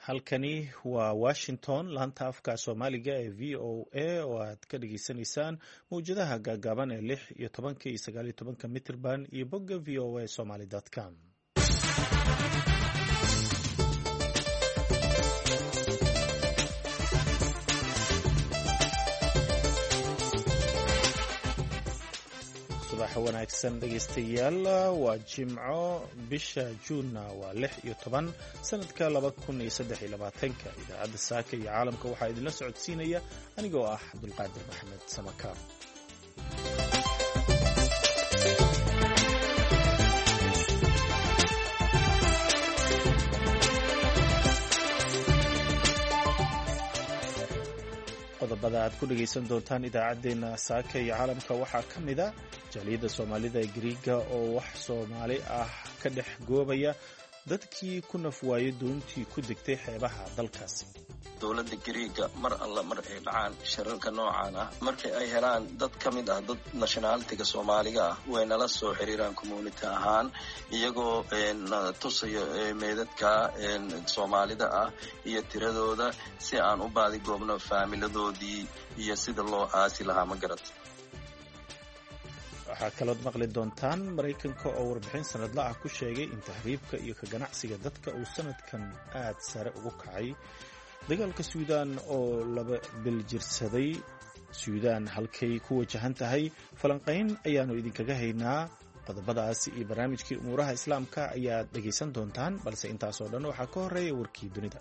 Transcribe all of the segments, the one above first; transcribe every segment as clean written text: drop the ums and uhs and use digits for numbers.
Halkani waa Washington, laanta afka Soomaaliga ee VOA oo aad ka dhageysanaysaan mawjadaha gaagaaban ee 16-ka iyo 19-ka mitirban iyo bogga voasomali.com. Subax wanaagsan dhegeystayaal, waa Jimco, bisha Juunna waa 16 sanadka 2023-ka. Idaacadda Saaka iyo Caalamka waxaa idinla socodsiinaya anigoo ah Cabdulqaadir Maxamed Samakaab. Qodobada aad ku dhegaysan doontaan idaacaddeenna Saaka iyo Caalamka waxaa ka mid a jaaliyadda Soomaalida ee Gariiga oo wax Soomaali ah ka dhex goobaya dadkii ku naf waayay doontii ku degtay xeebaha dalkaasi. Dowladda Gariiga mar alla mar ay dhacaan shirarka noocan ah, markii ay helaan dad ka mid ah dad nationalitiga Soomaaliga ah, way nala soo xiriiraan community ahaan, iyagoo na tusayo meedadka Soomaalida ah iyo tiradooda si aan u baadigoobno faamiladoodii iyo sida loo aasi lahaa, ma garat. Waxaa kalood maqli doontaan Maraykanka oo warbixin sanadla ah ku sheegay in tahriibka iyo ka ganacsiga dadka uu sanadkan aad sare ugu kacay, dagaalka Suudaan oo laba biljirsaday, Suudaan halkay ku wajahan tahay, falanqayn ayaannu idinkaga haynaa. Qodobadaas iyo barnaamijkii umuuraha Islaamka ayaad dhegaysan doontaan, balse intaasoo dhan waxaa ka horreeya warkii dunida.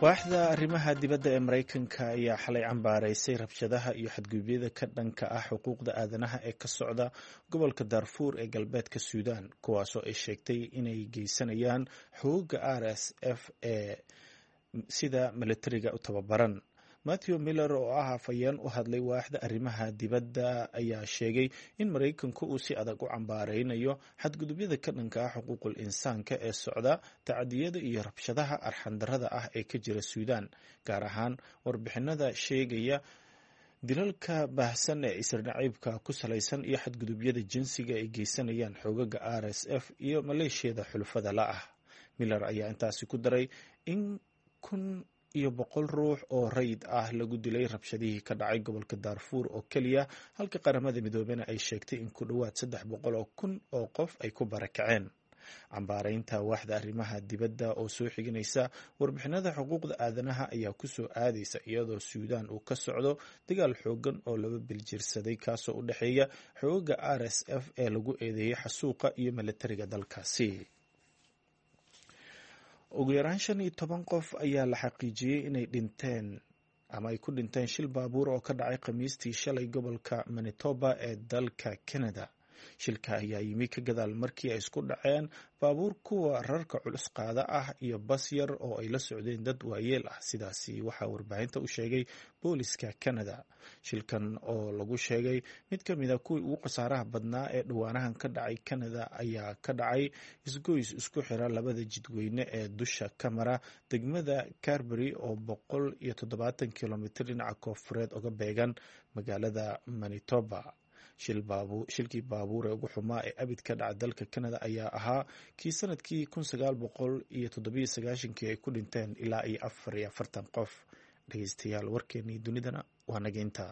Waaxda arrimaha dibadda ee Maraykanka ayaa xalay cambaaraysay rabshadaha iyo xadgudubyada ka dhanka ah xuquuqda aadanaha ee ka socda gobolka Darfuur ee galbeedka Suudaan, kuwaasoo ay sheegtay inay geysanayaan xoogga RSF ee sida militariga u tababaran. Matthew Miller oo ah afhayeen u hadlay waaxda arrimaha dibadda ayaa sheegay in Maraykanku uu si adag u cambaaraynayo xadgudubyada ka dhanka ah xuquuqul insaanka ee socda, tacadiyada iyo rabshadaha arxandarrada ah ee ka jira Suudaan, gaar ahaan warbixinada sheegaya dilalka baahsan ee isirnaciibka ku salaysan iyo xadgudubyada jinsiga ay geysanayaan xoogaga RSF iyo maleeshiyada xulufada la ah. Miller ayaa intaasi ku daray in 1100 ruux oo rayid ah lagu dilay rabshadihii ka dhacay gobolka Daarfuur oo keliya, halka Qaramada Midoobena ay sheegtay in ku dhowaad 300,000 oo qof ay ku barakaceen. Cambaaraynta waaxda arrimaha dibadda oo soo xiginaysa warbixinada xuquuqda aadanaha ayaa ku soo aadaysa iyadoo Suudaan uu ka socdo dagaal xoogan oo laba biljirsaday, kaasoo u dhexeeya xoogaga RSF ee lagu eedeeyey xasuuqa iyo militariga dalkaasi. Ugu yaraan 15 qof ayaa la xaqiijiyey inay dhinteen ama ay ku dhinteen shil baabuur oo ka dhacay Khamiistii shalay gobolka Manitoba ee dalka Canada. Shilka ayaa yimi ka gadaal markii ay isku dhaceen baabuur kuwa rarka culus qaada ah iyo bas yar oo ay la socdeen dad waayeel ah. Sidaasi waxaa warbaahinta u sheegay booliska Canada. Shilkan oo lagu sheegay mid ka mid a kuwii ugu khasaaraha badnaa ee dhowaanahan ka dhacay Canada ayaa ka dhacay isgoys isku xira labada jidweyne ee dusha ka mara degmada Carbery oo 170 kilomitir dhinaca koonfureed uga beegan magaalada Manitoba. Shilkii baabuur ee ugu xumaa ee abid ka dhaca dalka Canada ayaa ahaa kii sanadkii 1997-kii ay ku dhinteen ilaa iyo 44 qof. Dhegeystayaal, warkeenii dunidana waa nageynta.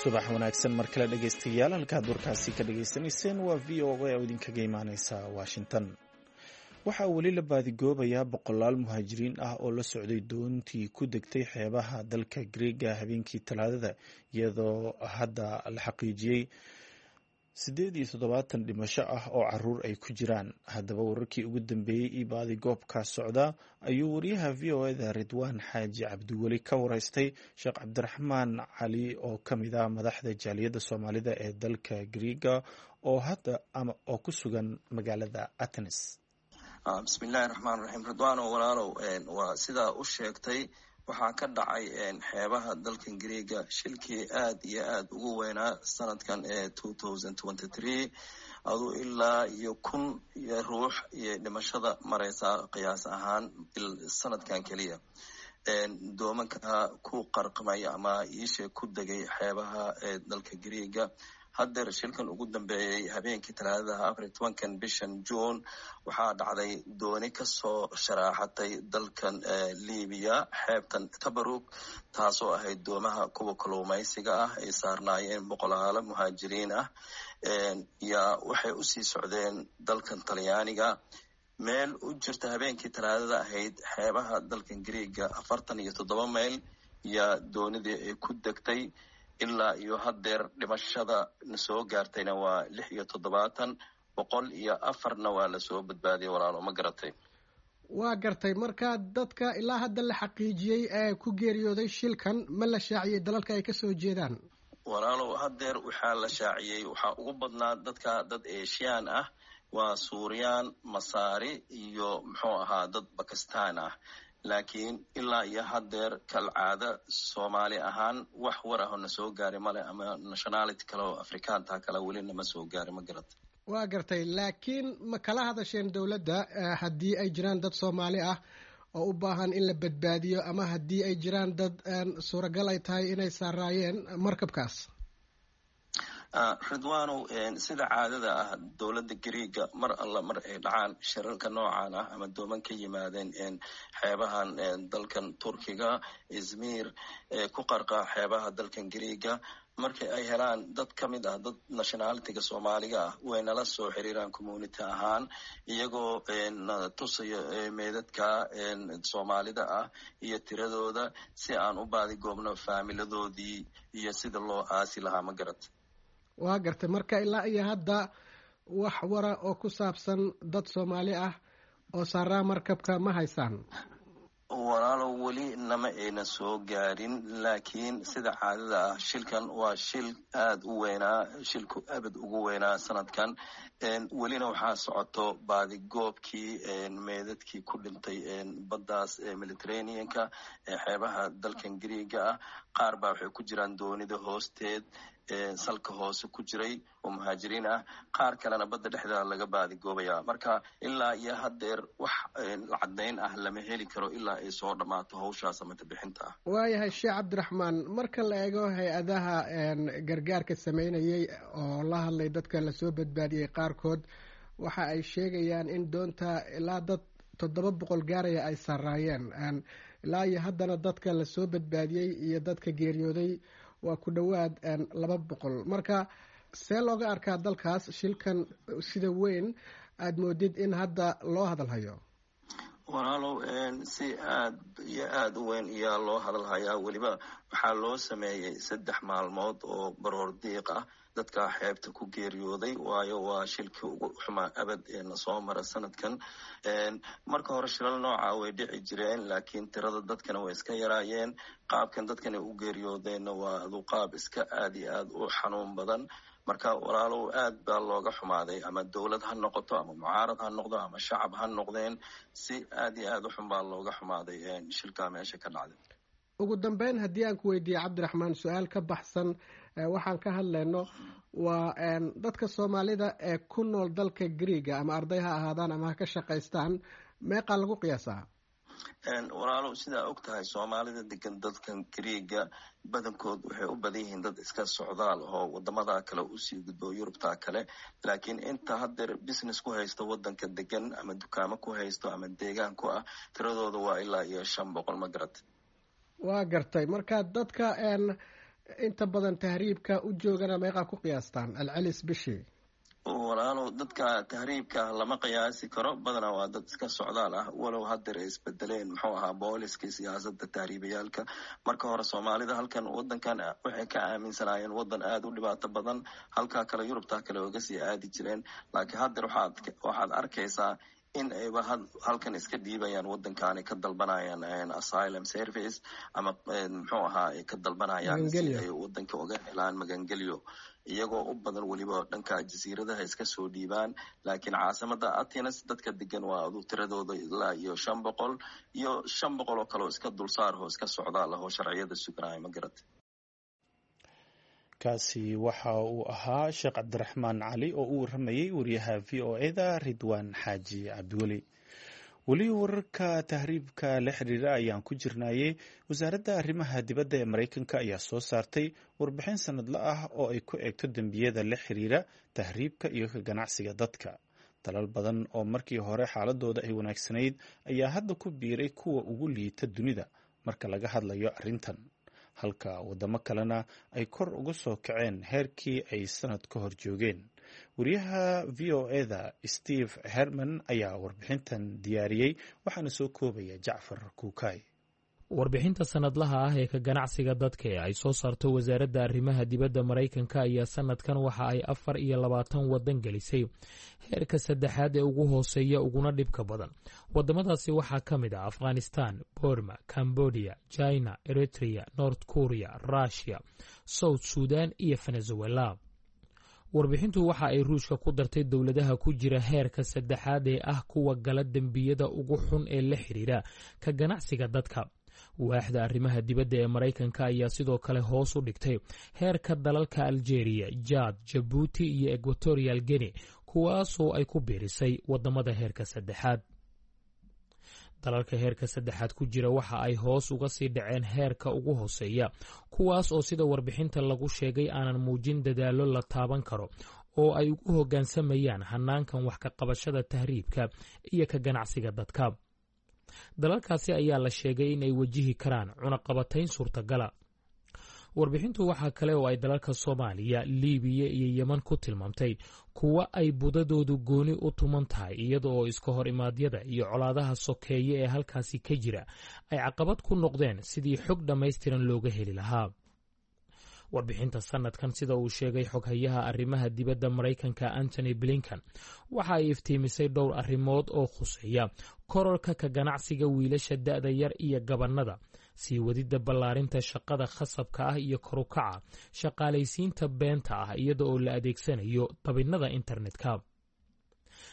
Subax wanaagsan mar kale dhegeystayaal, halkaad warkaasi ka dhageysanayseen waa VOA oo idinkaga imaaneysa Washington. Waxaa weli la baadigoobayaa boqolaal muhaajiriin ah oo la socday doontii ku degtay xeebaha dalka Greega habeenkii Talaadada, iyadoo hadda la xaqiijiyey 78 dhimasho ah oo caruur ay ku jiraan. Haddaba, wararkii ugu dambeeyey iyo baadigoobka socda ayuu wariyaha VOA-da Ridwaan Xaaji Cabdiweli ka wareystay Sheekh Cabdiraxmaan Cali oo ka mid ah madaxda jaaliyadda Soomaalida ee dalka Greega oo hadda ama oo ku sugan magaalada Athens. Bismillahi raxmaan raxiim. Ridwaano walaalow, waa sidaa u sheegtay. Waxaa ka dhacay xeebaha dalkan Greega shilkii aad iyo aad ugu weynaa sanadkan ee 2023. Aduu ilaa iyo 1000 ruux iyo dhimashada mareysaa qiyaas ahaan sanadkan keliya, doomanka ku qarqamay ama iishe ku degay xeebaha ee dalka Greega. Haddeer shilkan ugu dambeeyey habeenkii Talaadadaha, 14-kan bishan Juun, waxaa dhacday dooni kasoo sharaaxatay dalkan Libiya, xeebtan Tabarug, taasoo ahayd doomaha kuwa kalluumaysiga ah, ay saarnaayeen boqolaalo muhaajiriin ah. Yaa waxay usii socdeen dalkan Talyaaniga. Meel u jirta habeenkii Talaadada ahayd xeebaha dalkan Greega 47 mayl yaa doonidii ay ku degtay. Ilaa iyo haddeer dhimashada na soo gaartayna waa 76, 104-na waa lasoo badbaadiyay, walaalo, ma garatay? Waa gartay. Marka dadka ilaa hadda la xaqiijiyey ee ku geeriyooday shilkan, ma la shaaciyey dalalka ay kasoo jeedaan? Walaalow, haddeer waxaa la shaaciyey waxaa ugu badnaa dadka dad Asian ah, waa Suuriyaan, Masaari iyo muxuu ahaa dad Bakistan ah. Laakiin ilaa iyo haddeer kalcaada Soomaali ahaan wax war ah oo na soo gaari male, ama nationality kale oo Afrikaanta kale weli nama soo gaari, ma garata? Waa gartay. Laakiin ma kala hadasheen dowladda haddii ay jiraan dad Soomaali ah oo u baahan in la badbaadiyo, ama haddii ay jiraan dad suuragal ay tahay inay saaraayeen markabkaas? Ridwanow, sida caadada ah dowladda Greega mar alla mar ay dhacaan shirarka noocan ah ama dooman ka yimaadeen xeebahan dalkan Turkiga, Izmir, ku qarqa xeebaha dalkan Greega, markii ay helaan dad ka mid ah dad nationalityga Soomaaliga ah, way nala soo xiriiraan community ahaan, iyagoo na tusayo meedadka Soomaalida ah iyo tiradooda, si aan u baadigoobno faamiladoodii iyo sida loo aasi lahaa, ma garat? Waa gartay. Marka ilaa iyo hadda wax wara oo ku saabsan dad Soomaali ah oo saaraa markabka ma haysaan? Walaalow, weli nama ayna soo gaarin, laakiin sida caadada ah shilkan waa shil aada u weynaa, shilku abad ugu weynaa sanadkan. Welina waxaa socoto baadigoobkii meedadkii ku dhintay baddaas Mediterraneanka ee xeebaha dalkan Greega ah. Qaar baa waxay ku jiraan doonida hoosteed, salka hoose ku jiray oo muhaajiriin ah, qaar kalena badda dhexdeeda laga baadigoobayaa. Marka ilaa iyo haddeer wax caddayn ah lama heli karo ilaa ay soo dhammaato hawshaas amata bixinta ah. Waayahay, Sheekh Cabdiraxmaan, marka la eego hay-adaha gargaarka sameynayay oo la hadlay dadka lasoo badbaadiyey qaarkood, waxa ay sheegayaan in doonta ilaa dad 700 gaaraya ay saaraayeen. Ilaa iyo haddana dadka lasoo badbaadiyey iyo dadka geeriyooday waa ku dhowaad 200. Marka see looga arkaa dalkaas shilkan sida weyn aada moodid in hadda loo hadalhayo? Walaalow, si aad iyo aada u weyn iyaa loo hadalhayaa. Weliba waxaa loo sameeyey 3 maalmood oo baroor diiq ah dadka xeebta ku geeriyooday, waayo waa shilkii ugu xumaa abad ee na soo mara sanadkan. Marka hore shilal nooca way dhici jireen, laakiin tirada dadkana way iska yaraayeen. Qaabkan dadkan ay u geeriyoodeenna waa adu qaab iska aad iyo aad u xanuun badan. Marka walaalow, aad baa looga xumaaday, ama dowlad ha noqoto, ama mucaarad ha noqdo, ama shacab ha noqdeen, si aad iyo aad u xun baa looga xumaaday shilkaa meesha ka dhacday. Ugu dambeyn, haddii aan ku weydiiye, Cabdiraxmaan, su-aal ka baxsan waxaan ka hadlayno, waa dadka Soomaalida ee ku nool dalka Greega, ama arday ha ahaadaan ama ha ka shaqaystaan, meeqaa lagu qiyaasaa? Walaalow, sidaa og tahay, Soomaalida degan dadkan Greega badankood waxay u badan yihiin dad iska socdaal oo wadamada kale usii gudbo, Yurubta kale. Laakiin inta haddeer business ku haysto wadanka degan, ama dukaamo ku haysto, ama deegaan ku ah, tiradooda waa ilaa iyo 500, ma garat? Waa gartay. Marka dadka inta badan tahriibka u joogana meeqaa ku qiyaastaan celcelis bishii? Walaalow, dadka tahriibka lama qiyaasi karo, badanaa waa dad iska socdaal ah, walow haddeer ay isbedeleen muxuu ahaa booliskii siyaasadda tahriibayaalka. Marka hore Soomaalida halkan wadankan waxay ka aaminsanaayeen wadan aada u dhibaato badan, halkaa kale Yurubtaa kale oga sii aadi jireen. Laakiin haddeer waxaad arkaysaa In ayba halkan iska dhiibayaan, waddankaani ka dalbanayaan asylum service ama muxuu ahaa, ay ka dalbanayaan si ay waddanka uga helaan magangelyo, iyagoo u badan weliba dhanka jasiiradaha iska soo dhiibaan. Laakiin caasimada Athens dadka degan waa adu tiradooda ilaa iyo 500 iyo 500 oo kale oo iska dulsaarho, iska socdaal ahoo sharciyada suganaya, ma garata. Kaasi waxa uu ahaa Sheekh Cabdiraxmaan Cali oo u waramayey wariyaha VOA-da Ridwaan Xaaji Cabdiweli. Weli wararka tahriibka la xiriira ayaan ku jirnaayey. Wasaaradda arrimaha dibadda ee Maraykanka ayaa soo saartay warbixin sanadle ah oo ay ku eegto dembiyada la xiriira tahriibka iyo ka ganacsiga dadka. Dalal badan oo markii hore xaaladooda ay wanaagsanayd ayaa hadda ku biiray kuwa ugu liita dunida marka laga hadlayo arrintan, halka waddamo kalena ay kor uga soo kaceen heerkii ay sanad ka hor joogeen. Wariyaha VOA-da Steve Herman ayaa warbixintan diyaariyey, waxaana soo koobaya Jacfar Kuukay. Warbixinta sanadlaha ah ee ka ganacsiga dadka ee ay soo saarto wasaaradda arrimaha dibadda Maraykanka ayaa sanadkan waxa ay 24 waddan gelisay heerka saddexaad ee ugu hooseeya uguna dhibka badan. Wadamadaasi waxaa ka mid ah Afghanistan, Burma, Cambodia, China, Eritrea, North Korea, Russia, South Sudan iyo Venezuela. Warbixintu waxa ay Ruushka ku dartay dowladaha ku jira heerka saddexaad ee ah kuwa gala dembiyada ugu xun ee la xiriira ka ganacsiga dadka. Waaxda arrimaha dibadda ee Maraykanka ayaa sidoo kale hoos u dhigtay heerka dalalka Algeria, Jaad, Jabuuti iyo Equatorial Guinea, kuwaasoo ay ku biirisay wadamada heerka saddexaad. Dalalka heerka saddexaad ku jira waxa ay hoos uga sii dhaceen heerka ugu hooseeya, kuwaas oo sida warbixinta lagu sheegay aanan muujin dadaallo la taaban karo oo ay ugu hoggaansamayaan hanaankan wax ka qabashada tahriibka iyo ka ganacsiga dadka. Dalalkaasi ayaa la sheegay in ay wajihi karaan cunaqabatayn suurtagala. Warbixintu waxaa kale oo ay dalalka Soomaaliya, Liibiya iyo Yeman ku tilmaamtay kuwa ay budadoodu gooni u tuman tahay, iyada oo iska hor imaadyada iyo colaadaha sokeeye ee halkaasi ka jira ay caqabad ku noqdeen sidii xog dhammaystiran looga heli lahaa. Warbixinta sanadkan, sida uu sheegay xoghayaha arrimaha dibadda Maraykanka Antony Blinken, waxa ay iftiimisay dhowr arrimood oo khuseeya kororka ka ganacsiga wiilasha da'da yar iyo gabannada, sii wadidda ballaarinta shaqada khasabka ah iyo korukaca shaqaalaysiinta beenta ah iyada oo la adeegsanayo dabinnada internetka.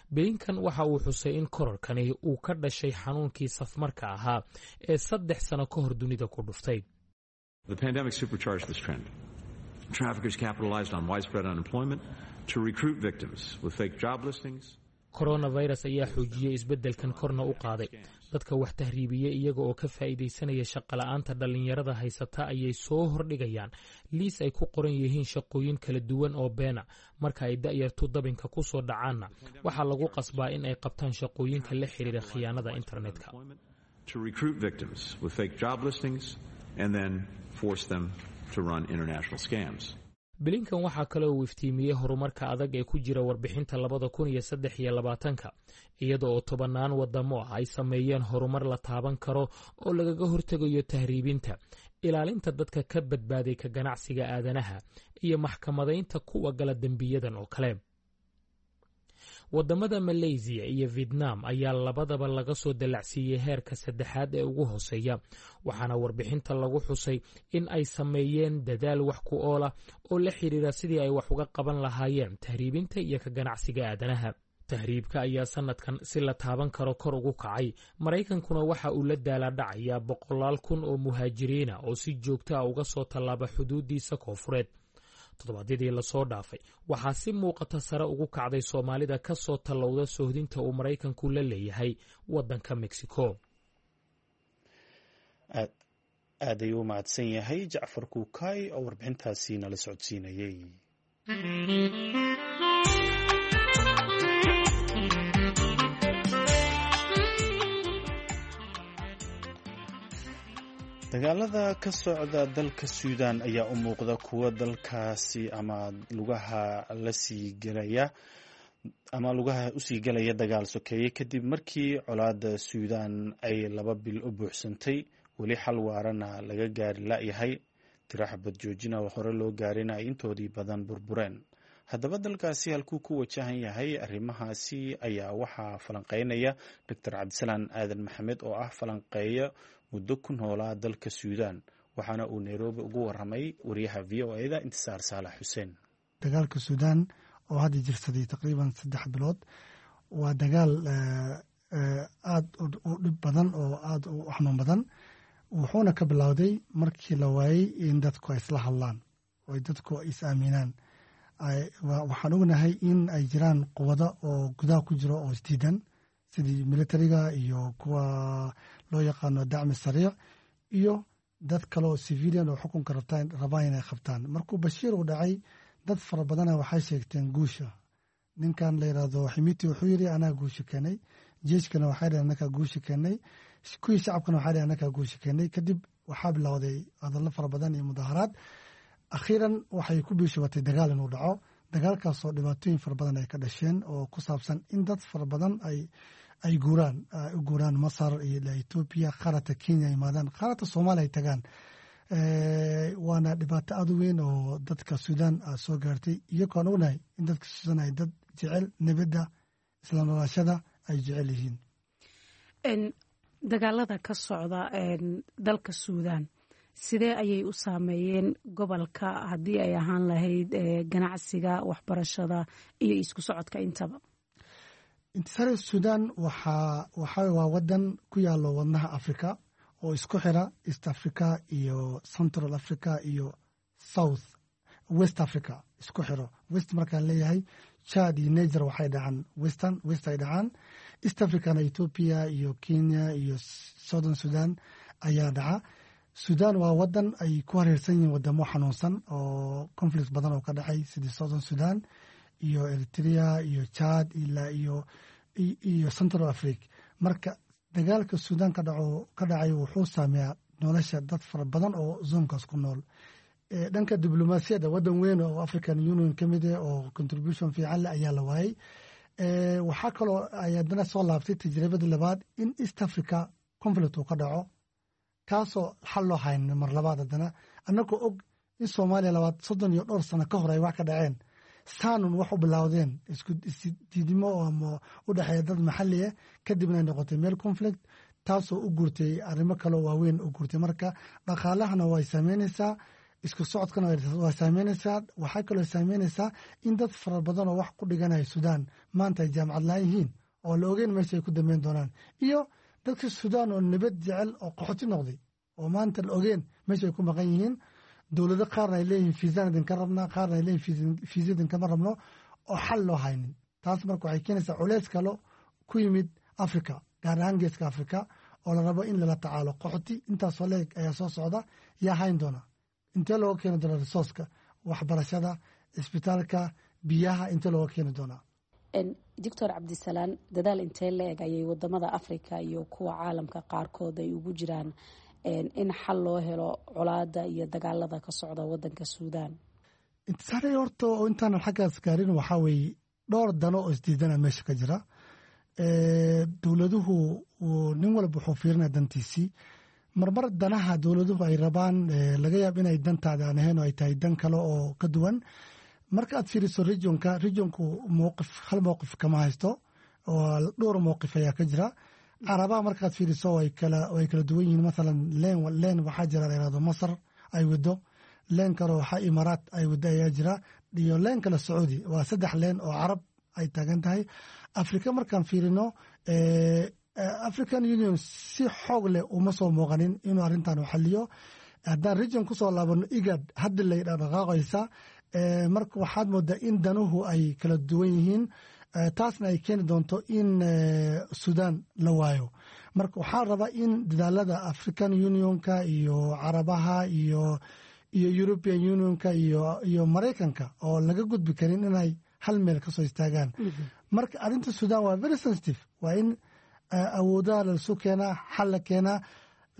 Blinkan waxa uu xusay in kororkani uu ka dhashay xanuunkii safmarka ahaa ee 3 sano ka hor dunida ku dhuftay. The pandemic supercharged this trend. Traffickers capitalized on widespread unemployment to recruit victims with fake job listings. Coronavirus ayaa xoojiyey isbeddelkan, korna u qaaday. Dadka wax tahriibiye iyaga oo ka faa'iidaysanaya shaqola'aanta dhallinyarada haysata ayay soo hordhigayaan liis ay ku qoran yihiin shaqooyin kala duwan oo beena. Marka ay da'yartu dabinka ku soo dhacaanna, waxaa lagu qasbaa in ay qabtaan shaqooyinka la xiriira khiyaanada internetka. To recruit victims with fake job listings and then force them to run international scams. Blinkan waxaa kale uu iftiimiyey horumarka adag ee ku jira warbixinta 2023-ka, iyada oo tobannaan wadamo ah ay sameeyeen horumar la taaban karo oo lagaga hortegayo tahriibinta, ilaalinta dadka ka badbaaday ka ganacsiga aadanaha iyo maxkamadaynta kuwa gala dembiyadan oo kale. Wadamada Maleysiya iyo Vietnam ayaa labadaba laga soo dallacsiiyey heerka saddexaad ee ugu hooseeya, waxaana warbixinta lagu xusay in ay sameeyeen dadaal wax ku oola oo la xiriira sidii ay wax uga qaban lahaayeen tahriibinta iyo ka ganacsiga aadanaha. Tahriibka ayaa sanadkan si la taaban karo kor ugu kacay. Maraykankuna waxa uu la daalaadhacayaa boqolaal kun oo muhaajiriina oo si joogto ah uga soo tallaaba xuduuddiisa koonfureed. Toddobaadyadii lasoo dhaafay waxaa si muuqata sare ugu kacday Soomaalida ka soo tallowda soohdinta uu Maraykanku la leeyahay waddanka Mexico. Aad ayuu u mahadsan yahay Jacfar Kuukay oo warbixintaasi nala socodsiinayey. Dagaalada ka socda dalka Suudan ayaa u muuqda kuwo dalkaasi ama lugaha lasii gelaya ama lugaha usii gelaya dagaal sokeeye, kadib markii colaada Suudan ay 2 bil u buuxsantay, weli xal waarana laga gaari la-yahay. Tiro xabad joojina oo hore loo gaarina ay intoodii badan burbureen. Haddaba dalkaasi halkuu ku wajahan yahay arrimahaasi ayaa waxaa falanqeynaya Doctor Cabdisalaan Aadan Maxamed oo ah falanqeeya muddo ku noolaa dalka Suudaan, waxaana uu Nairobi ugu waramay wariyaha VOA-da Intisaar Saalax Xuseen. Dagaalka Suudaan oo hadda jirsaday taqriiban 3 bilood waa dagaal aada u dhib badan oo aada u xanuun badan, wuxuuna ka bilowday markii la waayey in dadku ay isla hadlaan oo dadku ay is aaminaan. Waxaan ognahay in ay jiraan quwado oo gudaha ku jiro oo isdiidan, sidii militariga iyo kuwa loo yaqaano dacmi sariic iyo dad kale oo civilian oo xukunka rabaan inay qabtaan. Markuu Bashiir uu dhacay, dad fara badana waxay sheegteen guusha. Ninkan la yiraahdo Ximiti wuxuu yiri, "Anaa guusha keenay." Jeeshkana waxay dhaheen, "Anakaa guusha keenay." Kuwii shacabkana waxay dhaheen, "Anakaa guusha keenay." Kadib waxaa bilowday hadallo fara badan iyo mudaharaad. Akhiiran waxay ku biishubatay dagaal inuu dhaco, dagaalkaasoo dhibaatooyin fara badan ay ka dhasheen oo ku saabsan in dad fara badan ay guuraan, u guuraan Masar iyo Etoobiya, qaarata Kenya yimaadaan, qaarata Soomaaliya ay tagaan. Waana dhibaato aad u weyn oo dadka Suudaan soo gaartay, iyagoon ognahay in dadka Suudaan ay dad jecel nabadda, isla noolaashada ay jecel yihiin. Dagaalada ka socda dalka Suudaan sidee ayay u saameeyeen gobolka, haddii ay ahaan lahayd ganacsiga, waxbarashada iyo isku socodka intaba? Intisaar, Suudaan waa wadan ku yaalo wadnaha Africa oo isku xira East Africa iyo Central Africa iyo South West Africa isku xiro. West markaan leeyahay, Chad iyo Niger waxay dhacaan western, west ay dhacaan. East Africana Ethiopia iyo Kenya iyo Southern Sudan ayaa dhaca. Sudan waa wadan ay ku hareersan yihiin wadamo xanuunsan oo conflict badan oo ka dhacay, sidii Southern Sudan iyo Eritrea iyo Chad ilaa iyo Central Africa. Marka dagaalka Sudan ka dhacay wuxuu saameeyaa nolosha dad fara badan oo zone-kaas ku nool. Dhanka diblomaasiyadda, wadan weyn oo African Union ka mid ah oo contribution fiican leh ayaa la waayey. Waxaa kaloo ay haddana soo laabtay tajribadii labaad in East Africa conflict uu ka dhaco, kaasoo xal loo haynin mar labaad. Haddana annagoo og in Soomaaliya labaad 30 iyo dhowr sano ka hor ay wax ka dhaceen, saanun wax u bilowdeen isku isdiidimo ama u dhexeeya dad maxalli ah, kadibna ay noqotay meel conflict, taasoo u guurtay arrimo kaloo waaweyn u guurtay. Marka dhaqaalahana way saameynaysaa, isku socodkana waa saameynaysaa. Waxaa kaloo saameynaysaa in dad fara badan oo wax ku dhiganaya Suudaan maanta ay jaamacad laan yihiin oo la ogeyn meesha ay ku dambeyn doonaan, iyo dadka Suudaan oo nabad jecel oo qaxoti noqday oo maanta la ogeen meesha ay ku maqan yihiin. Dowlado qaarna ay leeyihiin fiisaan idinka rabnaa, qaarna ay leeyihin fiisa idinkama rabno, oo xal loo haynin. Taas marka waxay keenaysaa culeys kalo ku yimid Africa, gaar ahaan Geeska Africa, oo la rabo in lala tacaalo. Qaxoti intaasoo leeg ayaa soo socda, yaa hayn doona? Intee looga keeni doonaa resource-ka, waxbarashada, isbitaalka, biyaha, intee looga keeni doonaa? Doctor Cabdisalaan, dadaal intee la-eg ayay wadamada Africa iyo kuwa caalamka qaarkood ay ugu jiraan in xal loo helo colaada iyo dagaalada ka socda wadanka Suudaan? Intisaare, horta oo intaanan xaggaas gaarin, waxaa weeye dhowr dano oo isdiidana meesha ka jira. Dowladuhu nin walba wuxuu fiirinaya dantiisii. Marmar danaha dowladuhu ay rabaan laga yaab inay dantaada aan ahayn oo ay tahay dan kale oo ka duwan. Marka aad fiiriso regionka, regionku mowqif, hal mowqif kama haysto oo dhowr mowqif ayaa ka jira. Carabaha markaad fiiriso way kala duwan yihiin. Mathalan leen waxaa jira la yirahdo Masar ay wado, leen kale waxaa Imaaraat ay wado ayaa jira, iyo leen kale Sacuudi. Waa saddex leen oo Carab ay taagan tahay. Afrika markaan fiirino, African Union si xoog leh uma soo muuqanin inuu arrintan u xaliyo. Haddaan region kusoo laabano, IGAD hadda lay dhaqdhaqaaqaysa. Marka waxaad moodaa in danuhu ay kala duwan yihiin, taasna ay keeni doonto in Sudan la waayo. Marka waxaa rabaa in dadaalada African Unionka iyo Carabaha iyo European Unionka iyo Maraykanka oo laga gudbi karin inay hal meel kasoo istaagaan. Marka arrinta Sudan waa very sensitive. Waa in awoodaha laisu keenaa, xal la keenaa,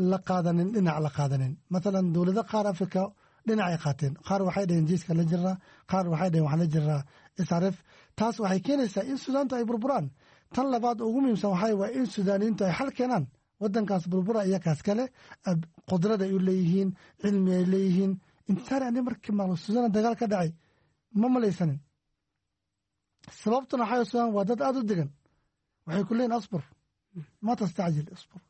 la qaadanin dhinac la qaadanin. Mathalan dowlado qaar Africa dhinacay qaateen. Qaar waxay dhaheen jeiska la jiraa, qaar waxay dhaheen waxaan la jiraa SRF. Taas waxay keenaysaa in Suudaantu ay burburaan. Tan labaad ugu muhiimsan waxaa waa in Suudaaniyiintu ay xal keenaan wadankaas burbura. Iyakaas kale qudrad ay u leeyihiin, cilmi ay leeyihiin. Intisaar, ani markii maqlo Suudaan dagaal ka dhacay ma malaysanin. Sababtuna waxaa Suudaan waa dad aada u degan. Waxay ku leeyihin asbur, ma tastacjil, asbur.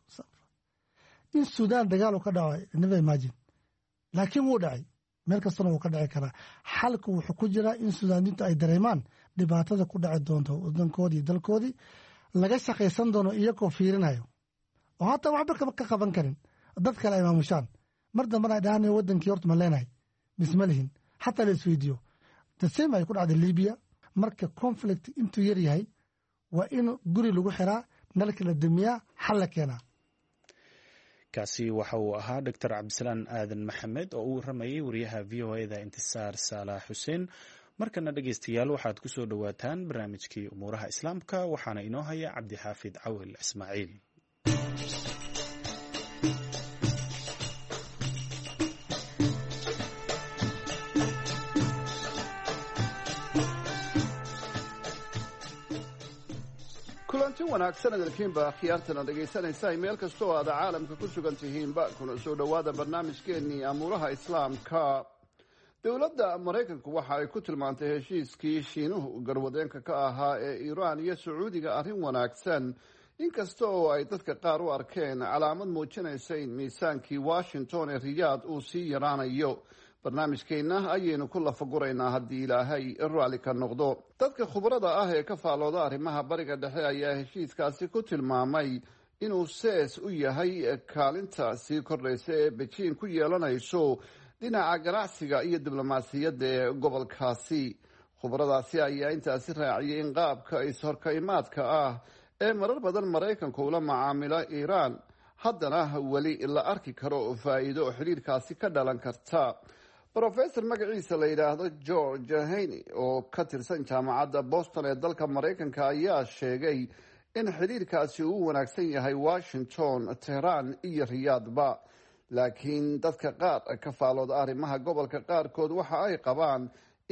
In Suudaan dagaal uu ka dhaco, never imagine, laakiin wuu dhacay, meel kastana wuu ka dhici karaa. Xalku wuxuu ku jiraa in Suudaaniintu ay dareemaan dhibaatada ku dhaci doonto wadankoodii, dalkoodii laga shaqaysan doono iyagoo fiirinayo oo hataa waxba ka qaban karin, dad kale ay maamushaan. Mar dambana ay dhahaan wadankii horta ma leenahay mise ma lihin, xataa la isweydiiyo. The same ay ku dhacday Libya. Marka conflict intuu yar yahay waa in guri lagu xiraa, nalka la damiyaa, xal la keenaa. Kaasi waxa uu ahaa Doctor Cabdisalaan Aadan Maxamed oo u waramayay wariyaha VOA-da Intisaar Saalax Xuseen. Markana dhegeystayaal, waxaad ku soo dhowaataan barnaamijkii umuuraha Islaamka, waxaana inoo haya Cabdixaafid Cawil Ismaaciil. Kulanti wanaagsan adalkiinba akhyaartana dhegaysanaysa meel kasta oo aad caalamka ku sugan tihiinba, kuna soo dhowaada barnaamijkeennii amuuraha Islaamka. Dowladda Maraykanku waxa ay ku tilmaantay heshiiskii Shiinuhu garwadeenka ka ahaa ee Iiraan iyo Sacuudiga arrin wanaagsan, inkasta oo ay dadka qaar u arkeen calaamad muujinaysa in miisaankii Washington ee Riyaad uu sii yaraanayo. Barnaamijkeenna ayaynu ku lafaguraynaa haddii Ilaahay raalli ka noqdo. Dadka khubrada ah ee ka faallooda arrimaha Bariga Dhexe ayaa heshiiskaasi ku tilmaamay inuu sees u yahay kaalinta sii kordhaysa ee Bejiin ku yeelanayso dhinaca ganacsiga iyo diblomaasiyadda ee gobolkaasi. Khubradaasi ayaa intaasi raaciyay in qaabka is-horkaimaadka ah ee marar badan Maraykanku ula macaamilo Iiraan haddana weli la arki karo faa'iido xidhiirkaasi ka dhalan karta. Brofesor magaciisa la yidhaahdo George Haney oo ka tirsan jaamacadda Boston ee dalka Maraykanka ayaa sheegay in xidhiirkaasi uu wanaagsan yahay Washington, Tehraan iyo Riyaadba, laakiin dadka qaar ka faalooda arrimaha gobolka qaarkood waxa ay qabaan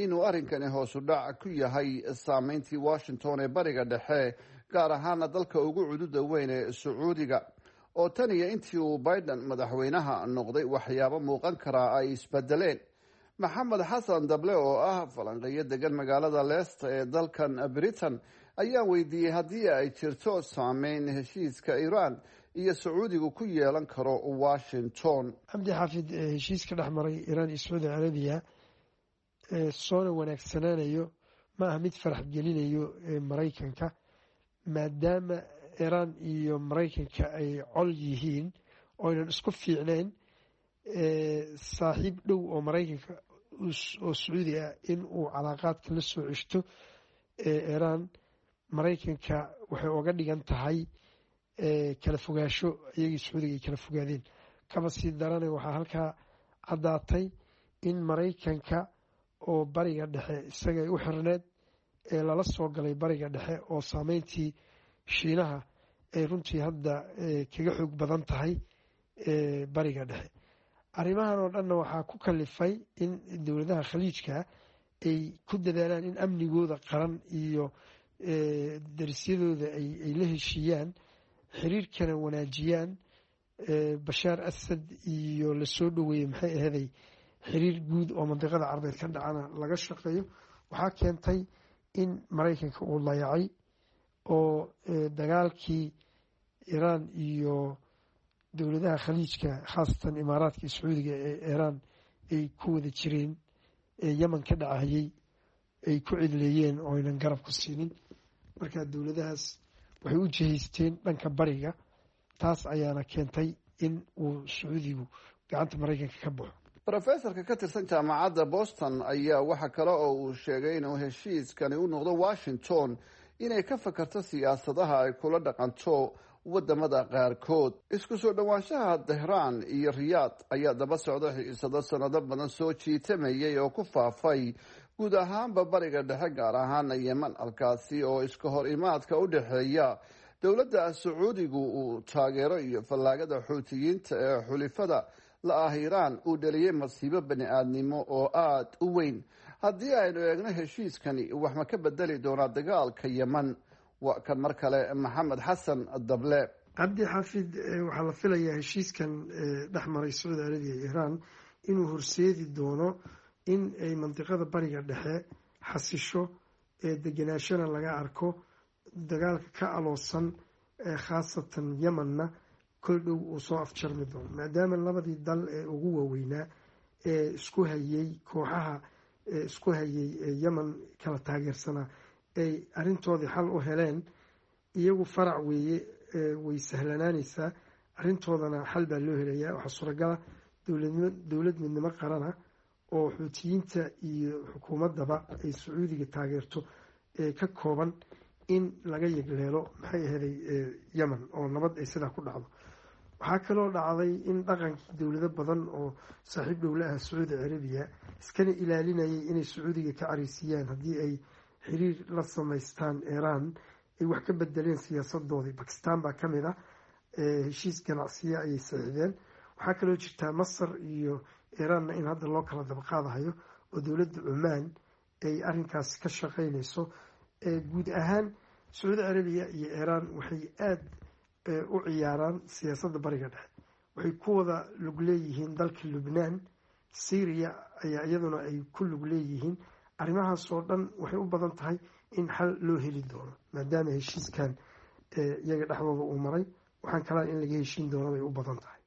inuu arrinkani hoosu dhac ku yahay saameyntii Washington ee Bariga Dhexe, gaar ahaana dalka ugu cududa weyn ee Sacuudiga, oo tan iyo intii uu Biden madaxweynaha noqday waxyaabo muuqan karaa ay isbedeleen. Maxamed Xasan Dable oo ah falanqeeyo degan magaalada Leicester ee dalkan Britain ayaa weydiiyey haddii ay jirto saameyn heshiiska Iiraan iyo Sacuudigu ku yeelan karo Washington. Cabdi Xaafid, heshiiska dhex maray Iiraan iyo Sacuudi Carabiya soona wanaagsanaanayo ma aha mid farax gelinayo Maraykanka, maadaama Iiraan iyo Maraykanka ay col yihiin oynan isku fiicnayn. Saaxiib dhow oo Maraykanka oo Sacuudi ah in uu calaaqaadka la soo ceshto Iiraan, Maraykanka waxay oga dhigan tahay kala fogaasho iyagii Sacuudiga ay kala fogaadeen. Kaba sii darana, waxaa halkaa caddaatay in Maraykanka oo Bariga Dhexe isaga ay u xirneed ee lala soo galay Bariga Dhexe, oo saameyntii Shiinaha ay runtii hadda kaga xoog badan tahay Bariga Dhexe. Arrimahan oo dhanna waxaa ku kalifay in dowladaha Khaliijka ay ku dadaalaan in amnigooda qaran iyo darisyadooda ay la heshiiyaan, xiriirkana wanaajiyaan. Bashaar Asad iyo lasoo dhoweeyey, maxay aheeday, xiriir guud oo mandiqada Carbeed ka dhacana laga shaqeeyo. Waxaa keentay in Maraykanka uu layacay oo dagaalkii Iiraan iyo dowladaha Khaliijka, khaasatan Imaaraadka iyo Sacuudiga ee Iiraan ay ku wada jireen ee Yemen ka dhacayay, ay ku cidleeyeen oo aynan garab ku siinin. Marka dowladahaas waxay u jihaysteen dhanka bariga, taas ayaana keentay in uu Sacuudigu gacanta Maraykanka ka baxo. Brofesorka ka tirsan jaamacadda Boston ayaa waxa kale oo uu sheegay inuu heshiiskani u noqdo Washington inay ka fakarto siyaasadaha ay kula dhaqanto wadamada qaarkood. Isku soo dhowaanshaha Tehraan iyo Riyaad ayaa daba socda xiisado sanado badan soo jiitamayay oo ku faafay guud ahaanba Bariga Dhexe, gaar ahaana Yeman, halkaasi oo iska hor imaadka u dhexeeya dowladda Sacuudigu uu taageero iyo fallaagada Xuutiyiinta ee xulifada la ah Iiraan uu dhaliyey masiibo bani aadnimo oo aada u weyn. Haddii aynu eegno heshiiskani wax ma ka bedeli doonaa dagaalka Yeman? Waa kan mar kale Maxamed Xasan Dable. Cabdi Xaafid, waxaa la filayaa heshiiskan dhex maray Sacuudi Carabiya iyo Iiraan inuu horseedi doono in ay mandiqada Bariga Dhexe xasisho. Deganaashana laga arko dagaalka ka aloosan, khaasatan Yemenna kol dhow uu soo afjarmi doono, maadaama labadii dal ee ugu waaweynaa ee isku hayay kooxaha isku hayay Yemen kala taageersanaa ay arrintoodii xal u heleen. Iyagu farac weeye, way sahlanaanaysaa arrintoodana, xal baa loo helayaa. Waxaa suuragala dowlad midnimo qarana oo Xuutiyiinta iyo xukuumaddaba ay Sacuudiga taageerto ee ka kooban in laga yegleelo, maxay aheeday, Yemen oo nabad ay sidaa ku dhacdo. Waxaa kaloo dhacday in dhaqankii dowlado badan oo saaxiib dhowla ah Sacuudi Carabiya, iskana ilaalinayay inay Sacuudiga ka careysiiyaan haddii ay xiriir la samaystaan Iiraan, ay wax ka bedeleen siyaasadoodii. Bakistan baa ka mid ah, heshiis ganacsiya ayay saxiixdeen. Waxaa kaloo jirtaa Masar iyo Iiraanna in hadda loo kala dabaqaadahayo oo dowladda Cumaan ay arrinkaas ka shaqeynayso. Guud ahaan Sacuudi Carabiya iyo Iiraan waxay aada u ciyaaraan siyaasadda Bariga Dhexe, waxay ku wada lug leeyihiin dalka Lubnaan, Syria ayaa iyaduna ay ku lug leeyihiin. Arrimahaas oo dhan waxay u badan tahay in xal loo heli doono, maadaama heshiiskan iyaga dhexdooda uu maray. Waxaan kalaa in laga heshiin doono bay u badan tahay.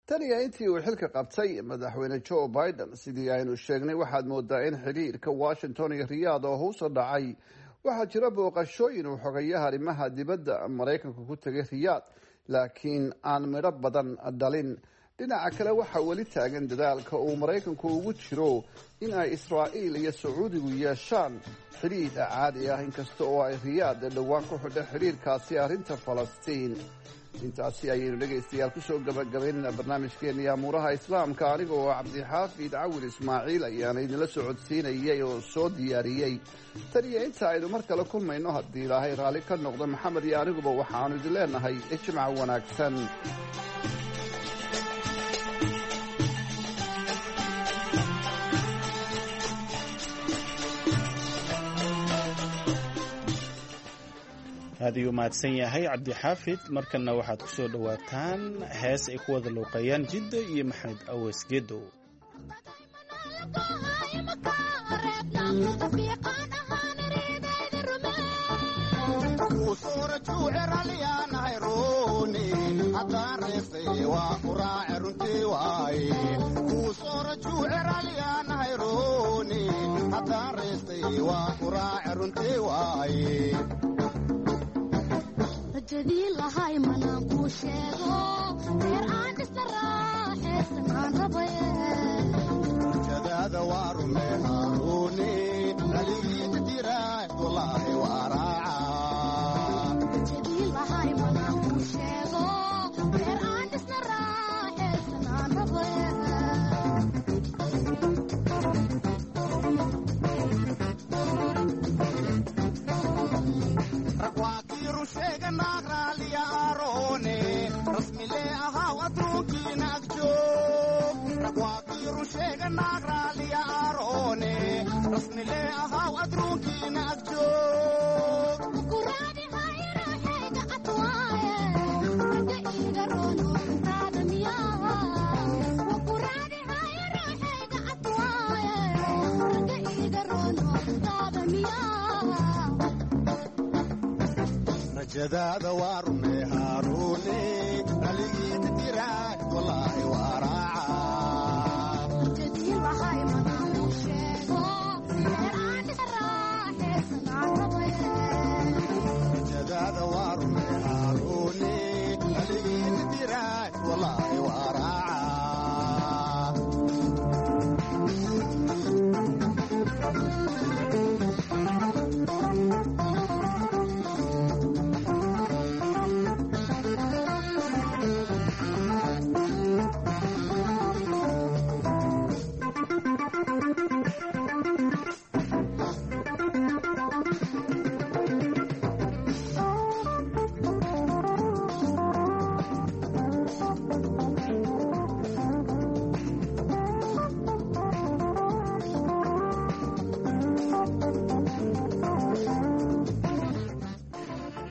Tan iyo intii uu xilka qabtay madaxweyne Joe Biden, sidii aynu sheegnay, waxaad moodaa in xidhiirka Washington iyo Riyaad oo hoos u dhacay. Waxaa jira booqashooyin uu xogayaha arrimaha dibadda Maraykanka ku tegay Riyaad, laakiin aan midho badan dhalin. Dhinaca kale, waxaa weli taagan dadaalka uu Maraykanku ugu jiro in ay Israa'iil iyo Sacuudigu yeeshaan xidhiidh caadi ah, inkasta oo ay Riyaad dhowaan ku xidhay xidhiidhkaasi arrinta Falastiin. Intaasi ayaynu, dhegaystayaal, kusoo gabagabaynayna barnaamijkeena amuuraha Islaamka. Aniga oo Cabdixaafid Cawil Ismaaciil ayaana idinla socodsiinayay oo soo diyaariyey. Tan iyo inta aynu mar kale kulmayno, haddii Ilaahay raalli ka noqdo, Maxamed iyo aniguba waxaanu idin leenahay ijmac wanaagsan. Aad ayuu mahadsan yahay Cabdixaafid. Markanna waxaad ku soo dhowaataan hees ay ku wada luuqeeyaan Jidda iyo Maxamed Aweys Gedow.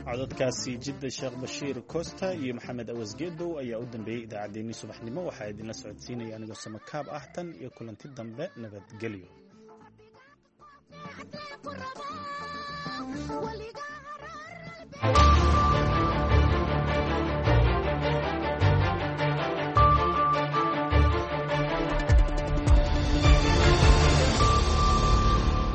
Codadkaasi Jidda Sheekh Bashiir Costa iyo Maxamed Awas Gedow ayaa u dambeeyey idaacaddeenii subaxnimo. Waxaa idinla socodsiinaya anigoo samakaab ah. Tan iyo kulanti dambe, nabadgelyo.